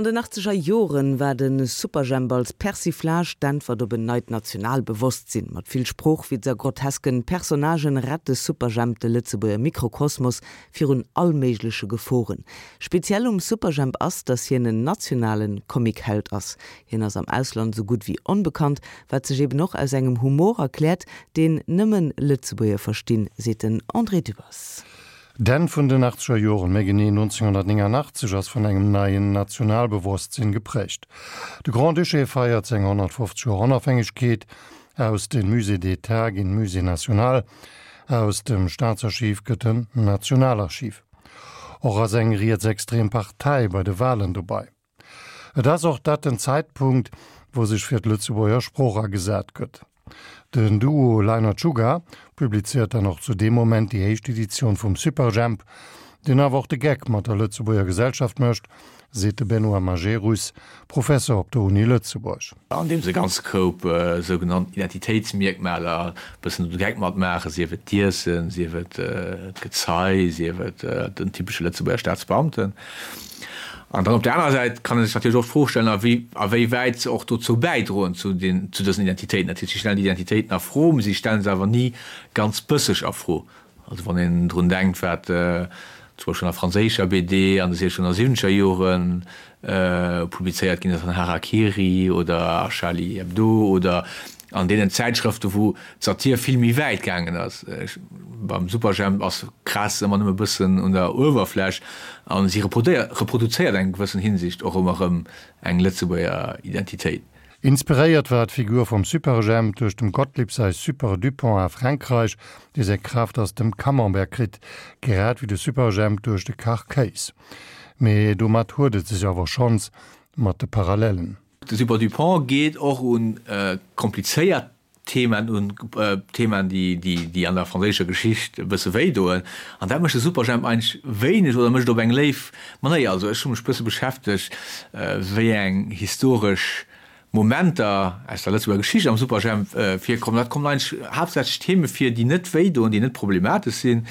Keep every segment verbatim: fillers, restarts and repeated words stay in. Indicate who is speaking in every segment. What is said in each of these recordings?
Speaker 1: An den achtzeger Joren war de Superjhemp als Persiflage d'Äntwert op en neit Nationalbewosstsinn. Mat vill Sproochwitz a grotesken Personnagen rett de Superjhemp de Lëtzebuerger Mikrokosmos virun allméigleche Geforen. Speziell um Superjhemp ass, dass hien en nationale Comicheld ass. Hien ass am Ausland sou gutt wéi onbekannt, wat sech eben och aus engem Humor erkläert, deen nëmmen Lëtzebuerger verstinn, seet den André Dübbers.
Speaker 2: D'Enn vun den achtzeger Joren, méi genee nonzénghonnertnénganachtzeg, ass vun engem neien Nationalbewosstsinn geprägt. De Grand-Duché feiert seng honnertfofzeg Joer Onofhängegkeet, aus dem Musée d'État ginn Musée national, aus dem Staatsarchiv gëtt en Nationalarchiv. Och ass eng rietsextrem Partei bei de Walen dobäi. Et ass och dat den Zäitpunkt, wou sech fir d'Lëtzebuerger Sprooch agesat gëtt. Den Duo Leiner-Czuga publizéiert dann och zu deem Moment déi éischt Editioun vum Superjhemp, deen awer och de Geck mat der Lëtzebuerger Gesellschaft mécht, seet de Benoît Majerus, Professer op der Uni Lëtzebuerg.
Speaker 3: Andeems e ganze Koup sougenannt Identitéitsmierkmaler e bëssen de Geck matmaachen, sief et d'Iessen, sief et d'Gezei, sief et den typesche Lëtzebuerger Staatsbeamten. An dann op der anerer Säit kann ee sech natierlech och d'Fro stellen, a wéi a wéi wäit se och dozou bäidroen zu den, zu dësen Identitéiten. Dat heescht, si stellen déi Identitéiten a Fro, mee si stelle se awer ni ganz bësseg a Fro. Also wann een drun denkt, wat zum Beispill an der franséischer B D an de siechzeger Jore publizéiert ginn ass, an Hara-Kiri oder a Charlie Hebdo oder an deenen Zäitschrëften, wou d'Satir vill méi wäit gaangen ass. Beim Superjhemp ass kraasst se ëmmer nëmme e bëssen un der Uewerfläch a si reproduzéiert eng gewëssen Hinsicht och ëmmer erëm eng Lëtzebuerger Identitéit.
Speaker 2: Inspiréiert war d'Figur vum Superjhemp duerch dem Gottlieb säi Super Dupont a Frankräich, dee seng Kraaft aus dem Camembert kritt, grad wéi de Superjhemp duerch de Kachkéis. Mee domat huet et sech awer schonns mat de Parallellen.
Speaker 3: De Super Dupont geet och un komplizéiert Themaen un, Themaen, déi an der franséischer Geschicht e bësse wéi doen. An dat mécht de Superjhemp eigentlech wéineg oder mécht et op eng léif Manéier. Also ech hu mech e bësse beschäftegt, wéi eng historesch Momenter aus der Lëtzebuerger Geschicht am Superjhemp virkommen. Dat kommen eigentlech haaptsächlech Theme vir, déi net wéi doen, déi net problematesch sinn.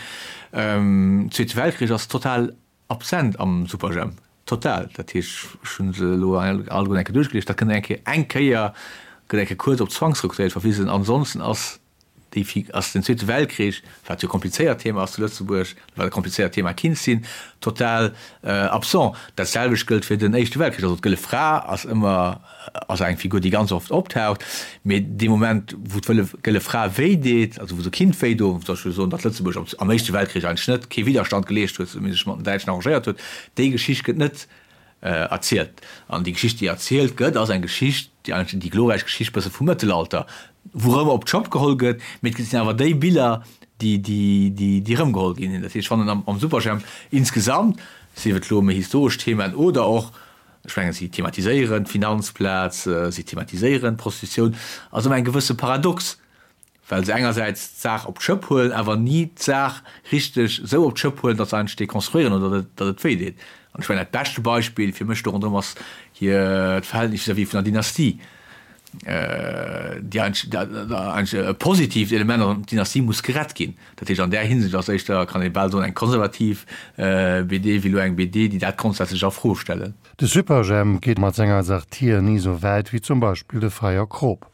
Speaker 3: Zweete Weltkrich ass total absent am Superjhemp. Total. Dat heescht, ech hu se elo alleguer eng Kéier duerchgelies, dat kënnt eng Kéier, eng Kéier gëtt eng Kéier kuerz op d'Zwangsrekrutéiert verwisen. Ansonsten ass déi, ass den Zweete Weltkrich, wat jo e komplizéiert Thema ass zu Lëtzebuerg, wat e komplizéiert Thema kinnt sinn, total absent. Dat selwecht gëllt fir den Éischte Weltkrich. Also d'Gëlle Fra ass ëmmer, ass eng Figur, déi ganz oft optaucht, mee dee Moment, wou d'Gëlle Fra wéi deet, also wou se kinnt wéi doen, soll ech elo soen, datt Lëtzebuerg am Éischte Weltkrich eigentlech net kee Widderstand geleescht huet, mee sech mat den Däitschen arrangéiert huet, déi Geschicht gëtt net erzielt. An déi Geschicht, déi erzielt gëtt, ass eng Geschicht, déi eigentlech déi glorräich Geschicht bësse vum Mëttelalter, wou erëm op d'Schëpp geholl gëtt, mee et sinn awer déi Biller, déi, déi, déi, déi erëmgeholl ginn. Dat heescht, ech fannen am, am Superjhemp insgesamt, sief et elo méi historesch Themen oder och, ech mengen, si thematiséieren d'Finanzplaz, si thematiséieren d'Prostitutioun, ass ëmmer eng gewësse Paradox, well se engersäits d'Saach op d'Schëpp huelen, awer ni d'Saach richteg esou op d'Schëpp huelen, datt se eigentlech dekonstruieren oder datt et wéi deet. An ech mengen, dat beschte Beispill fir mech do ronderëm ass hiert Verhältnis vis-à-vis vun der Dynastie, déi eigentlech e positiivt Element ass, an d'Dynastie muss gerett ginn. Dat heescht, an där Hinsicht ass éischter, kann ee bal soen, eng konservativ B D wéi elo eng B D, déi dat grondsätzlech a Fro stellen.
Speaker 2: De Superjhemp geet mat senger Satir ni sou wäit wéi zum Beispill de Feierkrop.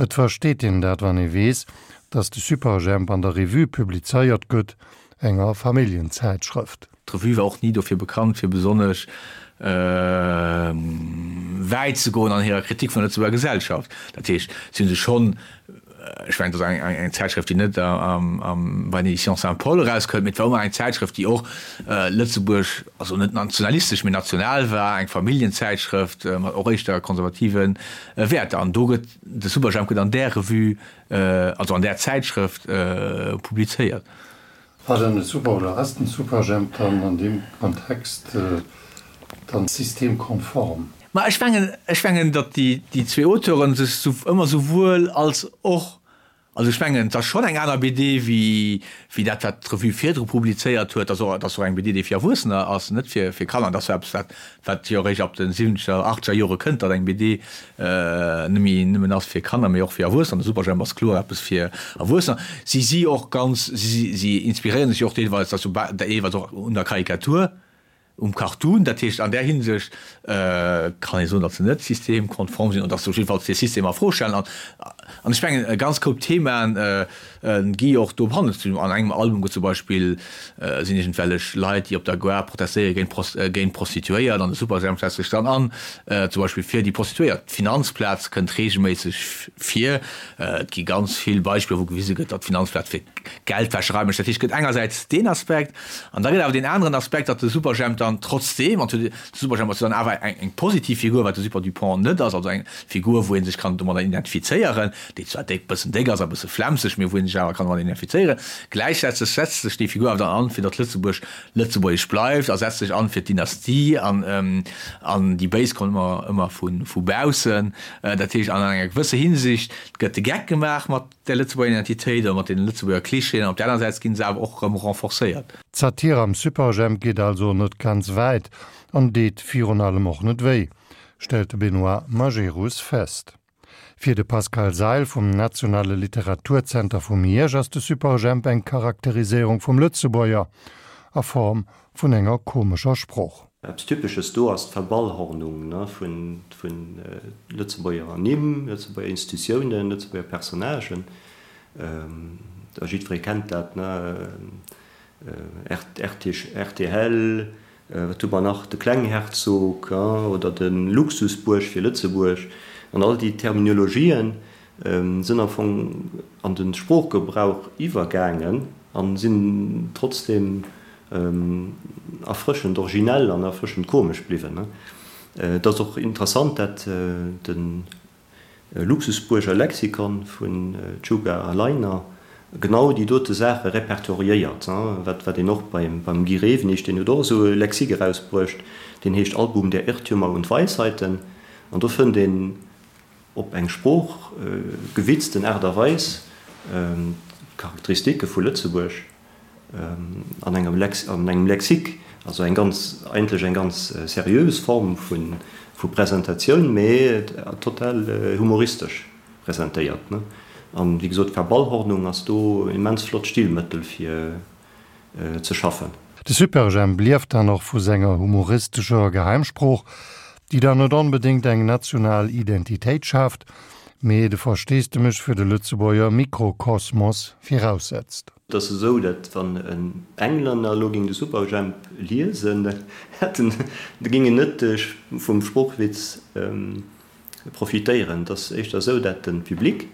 Speaker 2: Et versteet een dat, wann ee weess, datt de Superjhemp an der Revue publizéiert gëtt, enger Familljenzäitschrëft.
Speaker 3: D'Revue war och ni dofir bekannt, fir besonnesch wäit ze goen an hirer Kritik vun der Lëtzebuerger Gesellschaft. Dat heescht, si hu sech schonn, ech mengen, et ass eng Zäitschrëft, déi net bei den Éditions Saint-Paul erauskënnt, mee et war ëmmer eng Zäitschrëft, déi och Lëtzebuerg, also net nationalistesch, mee national war, eng Familljenzäitschrëft mat och éischter konservative Wäerter. An do gëtt de Superjhemp gëtt an där Revue, also an där Zäitschrëft publizéiert.
Speaker 2: War dann de Super oder ass den Superjhemp dann an deem Kontext dann systemkonform?
Speaker 3: Ma ech mengen, ech mengen, datt déi déi zwee Auteuren sech sou ëmmer souwuel als och, also ech mengen, et ass schonn eng aner B D wéi wéi dat wat d'Revue virdru publizéiert huet. Et ass och, et ass och eng B D, déi fir Erwuessener ass, net fir fir Kanner. Dat ass jo eppes wat wat jo eréischt ab de siwwenzeger, achtzeger Jore kënnt, datt eng B D net méi nëmmen ass fir Kanner, mee och fir Erwuessener. De Superjhemp ass kloer eppes fir Erwuessener. Si si och ganz, si si inspiréieren sech jo och deelweis, dat ass jo deelweis och un der Karikatur, um Cartoon. Dat heescht, an där Hinsicht kann ee soen, datt se net systemkonform sinn an datt se op jiddefalls de System a Fro stellen. An, an ech mengen, e ganz Koup Themaen gi och do behandelt. An engem Album gëtt zum Beispill, sinn iergendwellech Leit, déi op der Gare protestéiere géint géint Prostituéiert an de Superjhemp setzt sech dann an, zum Beispill fir déi Prostituéiert. D'Finanzplaz kënnt reegelméisseg vir. Et gi ganz vill Beispiller, wou gewise gëtt, datt d'Finanzplaz fir Geldwäscherei mécht. Dat heescht, et gëtt engersäits deen Aspekt an da gëtt awer deen aneren Aspekt, datt de Superjhemp dann trotzdeem, an de Superjhemp ass jo dann awer eng eng positiv Figur, wat de Super Dupont net ass, also eng Figur, wou ee sech kann domadder identifizéieren, déi zwar déck, bëssen déck ass a bësse flemmseg, mee wou ee sech awer kann domadder identifizéieren. Gläichzäiteg setzt sech déi Figur awer dann an, fir datt Lëtzebuerg lëtzebuergesch bleift a setzt sech an fir d'Dynastie an an déi Béis kommen ëmmer ëmmer vu vu baussen. Dat heescht, an enger gewësse Hinsicht gëtt de Geck gemaach mat der Lëtzebuerger Identitéit oder mat deene Lëtzebuerger Klischeeën, op där aner Säit ginn se awer och erëm renforcéiert.
Speaker 2: D'Satir am Superjhemp geet also net ganz wäit an deet virun allem och net wéi, stellt de Benoît Majerus fest. Fir de Pascal Seil vum Nationale Literaturzenter vu Miersch ass de Superjhemp eng Charakteriséierung vum Lëtzebuerger a Form vun enger komescher Sprooch.
Speaker 4: Eppes Typesches do ass d'Verballhornung vu Lëtzebuerger Nimm, Lëtzebuerger Institutiounen, Lëtzebuerger Personnagen. Jiddweree kennt dat, rtl, wat hu mer nach, de Klengherzog oder de Luxusbuerg fir Lëtzebuerg. An all déi Terminologien sinn am Fong an de Sproochgebrauch iwwergaangen a sinn trotzdeem erfrëschend originell an erfrëschend komesch bliwwen. Et ass och interessant, dat de Luxusbuerger Lexikon vun Czuga a Leiner genau déi dote Saache repertoriéiert, wat wat een och beim beim Guy Rewenig, deen huet och esou e Lexique erausbruecht, deen heescht Album der Irrtümer und Weisheiten, an do fënnt een op eng sproochgewitzten Aart a Weis d'Charakteristike vu Lëtzebuerg an engem Lex an engem Lexique, also eng ganz, eigentlech eng ganz seriös Form vu vu Presentatioun, mee total humoristesch presentéiert. An wéi gesot, d'Verballhornung ass do en immens flott Stilmëttel fir ze schaffen.
Speaker 2: De Superjhemp lieft dann och vu senger humoristescher Geheimsprooch, déi dann net onbedéngt eng national Identitéit schaaft, mee de Versteesdemech fir de Lëtzebuerger Mikrokosmos viraussetzt.
Speaker 4: Et ass esou, datt wann en Englänner elo géing de Superjhemp liesen, da hätt en, da géing en net vum Sproochwitz profitéieren. Et ass éischter esou, datt de Public,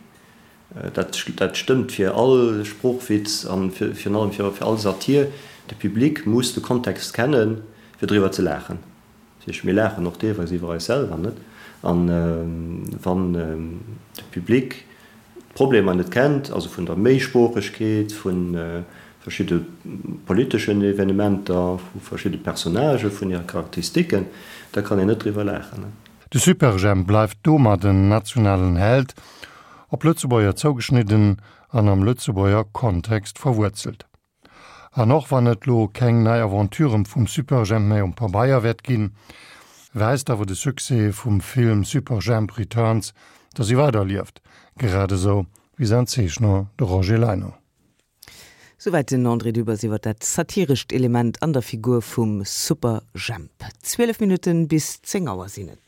Speaker 4: dat dat stëmmt fir all Sproochwitz an virun allem fir all Satir, de Public muss de Kontext kennen, fir driwwer ze laachen. Dat heescht, mir laachen och deelweis iwwer eis selwer, net? An wann de Public d'Problemer net kennt, also vun der Méisproochegkeet, vu verschidde politeschen Evenementer, vu verschidde Personnagen, vun hire Charakteristiken, da kann een net driwwer laachen.
Speaker 2: De Superjhemp bleift domat en nationalen Held, op Lëtzebuerger zougeschnidden an am Lëtzebuerger Kontext verwuerzelt. An och wann et lo keng nei Aventuren vum Superjhemp méi um Pabeier wäert ginn, weist awer de Succès vum Film Superjhemp Returns, dass e weiderlieft, grad esou wéi säin Zeechner, de Roger Leiner.
Speaker 1: Souwäit den André Dübbers iwwer dat satirescht Element an der Figur vum Superjhemp. Zwielef Minutten bis zéng Auer sinn et.